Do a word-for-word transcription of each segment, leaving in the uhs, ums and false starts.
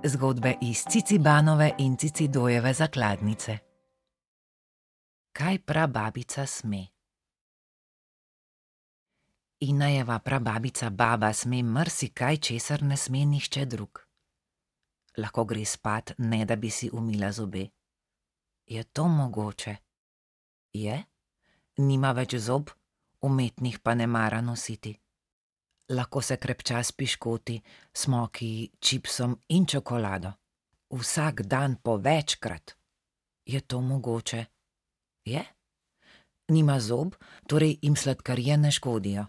Zgodbe iz Cicibanove in Cicidojeve zakladnice. Kaj prababica sme? Inajeva prababica baba sme marsikaj, česar ne sme nihče drug. Lahko gre spat, ne da bi si umila zobe. Je to mogoče? Je? Nima več zob, umetnih pa ne mara nositi. Lahko se krepča s piškoti, smoki, čipsom in čokolado. Vsak dan po večkrat. Je to mogoče? Je? Nima zob, torej jim sladkarije ne škodijo.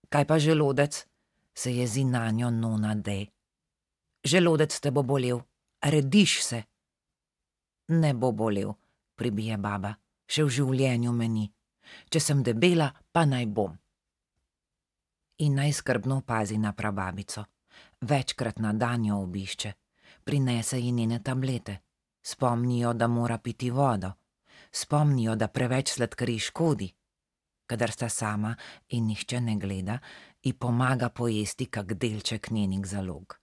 Kaj pa želodec? Se jezi nanjo nona Dej. Želodec te bo bolel, rediš se. Ne bo bolel, pribije baba, še v življenju me ni. Če sem debela, pa naj bom. In naj skrbno pazi na prababico. Večkrat na dan jo obišče. Prinese ji njene tablete. Spomnijo, da mora piti vodo. Spomnijo, da preveč sladkarij škodi. Kadar sta sama in nihče ne gleda, ji pomaga pojesti kak delček njenih zalog.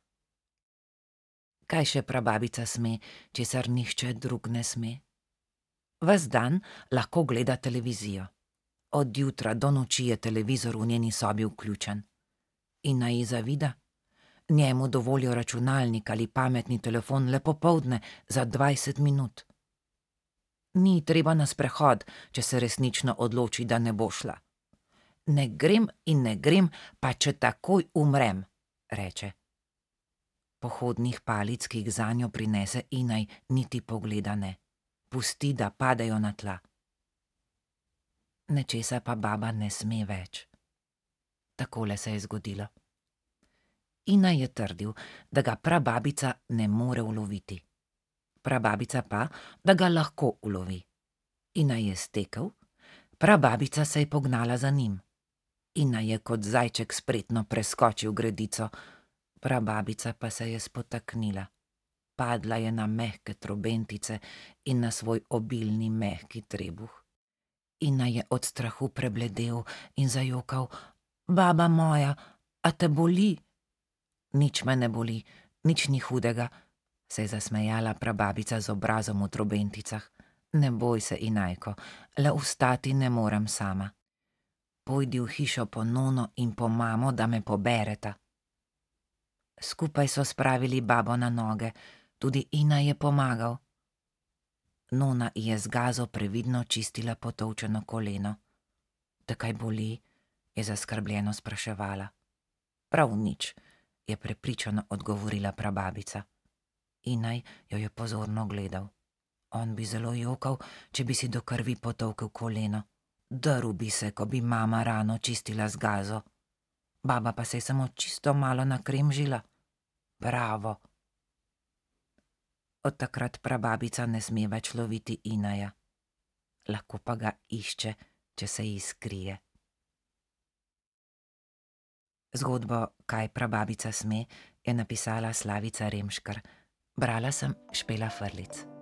Kaj še prababica sme, česar nihče drug ne sme? Ves dan lahko gleda televizijo. Od jutra do noči je televizor v njeni sobi vključen. In naj ji zavida? Njemu dovolijo računalnik ali pametni telefon le popoldne za dvajset minut. Ni treba na sprehod, če se resnično odloči, da ne bo šla. Ne grem in ne grem, pa če takoj umrem, reče. Pohodnih palic, ki jih zanjo prinese Inaj, niti pogleda ne. Pusti, da padejo na tla. Nečesa pa baba ne sme več. Takole se je zgodilo. Inaj je trdil, da ga prababica ne more uloviti. Prababica pa, da ga lahko ulovi. Inaj je stekel, prababica se je pognala za njim. Inaj je kot zajček spretno preskočil gredico, prababica pa se je spotaknila. Padla je na mehke trobentice in na svoj obilni mehki trebuh. Inaj je od strahu prebledel in zajokal: "Baba moja, a te boli?" "Nič me ne boli, nič ni hudega," se je zasmejala prababica z obrazom v trobenticah. "Ne boj se, Inajko, le vstati ne morem sama. Pojdi v hišo po nono in po mamo, da me pobereta." Skupaj so spravili babo na noge, tudi Inaj je pomagal. Nona ji je z gazo previdno čistila potolčeno koleno. "Te kaj boli?" je zaskrbljeno spraševala. "Prav nič," je prepričano odgovorila prababica. Inaj jo je pozorno gledal. On bi zelo jokal, če bi si do krvi potolkel koleno. Drl bi se, ko bi mama rano čistila z gazo. Baba pa se je samo čisto malo nakremžila. Bravo! Od takrat prababica ne sme več loviti Inaja. Lahko pa ga išče, če se ji skrije. Zgodbo Kaj prababica sme je napisala Slavica Remškar. Brala sem Špela Frlic.